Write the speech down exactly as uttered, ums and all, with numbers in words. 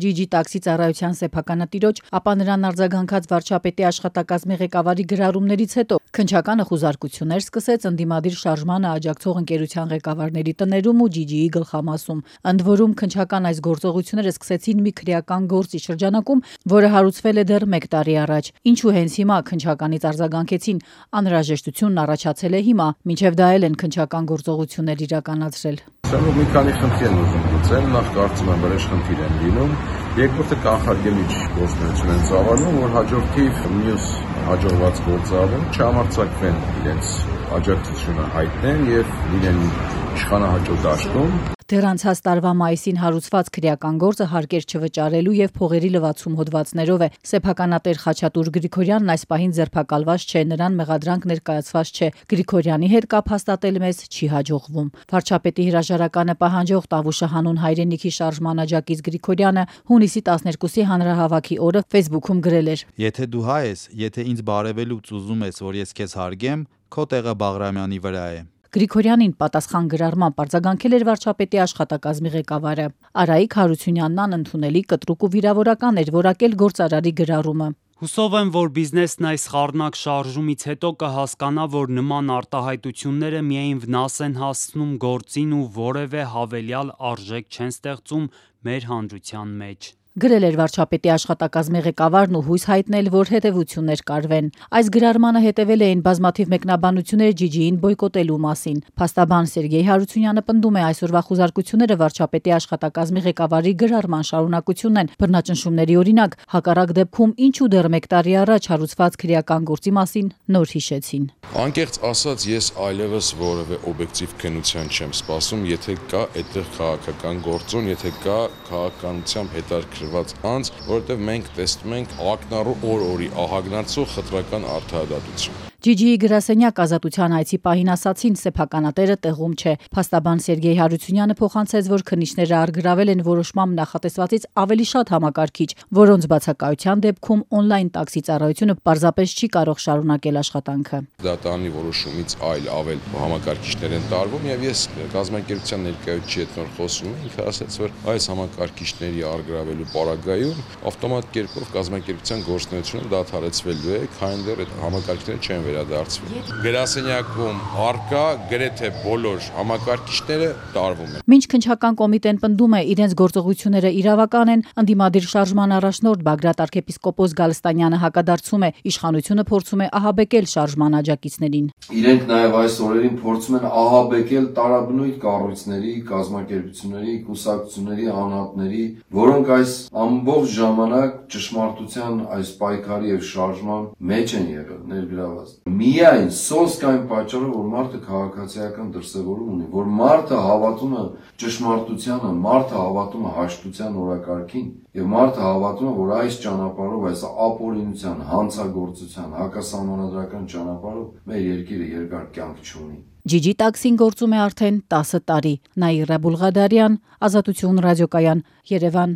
Ջիջի տաքսի ծառայության սեփականատիրոջ, ապա նրան արձագանքած վարչապետի աշխատակազմի ղեկավարի գրառումներից հետո քննչականը խուզարկություններ սկսեց ընդդիմադիր շարժմանը աջակցող ընկերության ղեկավարների տներում ու Ջիջիի գլխամասում։ Ընդ որում քննչական այս գործողությունները սկսեցին մի քրեական գործի շրջանակում, որը հարուցվել է դեռ մեկ տարի առաջ։ Ինչու հենց հիմա քննչականից արձագանքեցին, անհրաժեշտությունն առաջացել է հիմա, մինչև դա էլ են քննչական գործողություններ իրականացրել։ Սրանով մի քանի խնդիր են ուզում լուծել, նախ կարծում եմ վրեժ խնդիր են լինում, երկրորդը կանխարգելիչ գործունեություն են ծավալում, որ հաջորդիվ մյուս հաջողված գործառում չհամարձակվեն իրենց աջակցությունը հայտնեն եւ լինեն իշխանահաճո դաշտում։ Դեռ անցած տարվա մայիսին հարուցված քրեական գործը հարկեր չվճարելու եւ փողերի լվացում հոդվածներով է։ Սեփականատեր Խաչատուր Գրիգորյանն այս պահին ձերբակալված չէ, նրան մեղադրանք ներկայացված չէ։ Գրիգորյանի հետ կապ հաստատել մեզ չի հաջողվում։ Վարչապետի հրաժարականը պահանջող Տավուշը հանուն հայրենիքի շարժման աջակից Գրիգորյանը հունիսի տասներկուսի հանրահավաքի օրը Facebook-ում գրել էր. Եթե դու հայ ես, եթե ինձ բարևելուց ուզում ես, որ ես քեզ հարգեմ, քո տեղը Բաղրամյանի վրա է։ Գրիգորյանին պատասխան գրառմամբ արձագանքել էր վարչապետի աշխատակազմի ղեկավարը։ Արայիկ Հարությունյանն անընդունելի, կտրուկ ու վիրավորական էր որակել գործարարի գրառումը։ Հուսով եմ, որ բիզնեսն այս խառնակ շարժումից հետո կհասկանա, որ նման արտահայտությունները միայն վնաս են հասցնում գործին ու որևէ հավելյալ արժեք չեն ստեղծում մեր հանրության մեջ։ Գրել էր վարչապետի աշխատակազմի ղեկավարն ու հույս հայտնել, որ հետևություններ կարվեն։ Այս գրառմանը հետևել էին բազմաթիվ մեկնաբանություններ Ջիջիին բոյկոտելու մասին։ Փաստաբան Սերգեյ Հարությունյանը պնդում է այսօրվա խուզարկությունները վարչապետի աշխատակազմի ղեկավարի գրառման շարունակությունն են։ Բռնաճնշումների օրինակ, հակառակ դեպքում ինչու դեռ մեկ տարի առաջ հարուցված քրեական գործի մասին նոր հիշեցին։ Անկեղծ ասած, ես այլևս որևէ օբյեկտիվ քննության չեմ սպասում, եթե կա այդտեղ քաղաքական գործոն, եթե կա քաղաքականությամբ հետաքրքրված անձ, որովհետև մենք տեսնում ենք ակնառու օր-օրի ահագնացող խտրական արդարադատություն։ Ջիջիի գրասենյակ ազատության այցի պահին ասացին, սեփականատերը տեղում չէ։ Փաստաբան Սերգեյ Հարությունյանը փոխանցեց, որ քննիչները առգրավել են որոշմամբ նախատեսվածից ավելի շատ համակարգիչ, որոնց բացակայության դեպքում օնլայն տաքսի ծառայությունը պարզապես չի կարող շարունակել աշխատանքը։ Դատարանի որոշումից այլ ավել համակարգիչներ են տարվում եւ ես կազմակերպության ներկայացուցիչի հետ նոր խոսում եմ, ինքը ասաց, որ այս համակարգիչների առգրավելու պարագայում ավտոմատ կերպով կազմակերպության գործունեությունը դադարեցվելու է, քանի դեռ այդ համակարգիչները չեն վերադարձվել։ Գրասենյակում առկա գրեթե բոլոր համակարգիչները տարվում են։ Մինչ քննչական կոմիտեն պնդում է իրենց գործողությունները իրավական են, ընդդիմադիր շարժման առաջնորդ Բագրատ arczepiskopos Գալստանյանը հակադարձում է, իշխանությունը փորձում է ահաբեկել շարժման աջակիցներին։ Իրենք նաև այս օրերին փորձում են ահաբեկել տարաբնույթ կառույցների, կազմակերպությունների, կուսակցությունների անհատների, որոնք այս ամբողջ ժամանակ ճշմարտության այս պայքարի եւ շարժման մեջ են եղել, ներգրաված։ Միայն սոսկ այն պատճառով, որ մարդը քաղաքացիական դրսևորում ունի, որ մարդը հավատում է ճշմարտությանը, մարդը հավատում է հաշտության օրակարգին եւ մարդը հավատում է, որ այս ճանապարհով, այս ապօրինության, հանցագործության, հակասահմանադրական ճանապարհով մեր երկիրը երկար կյանք չունի։ Ջիջի տաքսին գործում է արդեն տասը տարի։ Նաիրա Բուլղադարյան, Ազատություն ռադիոկայան, Երևան։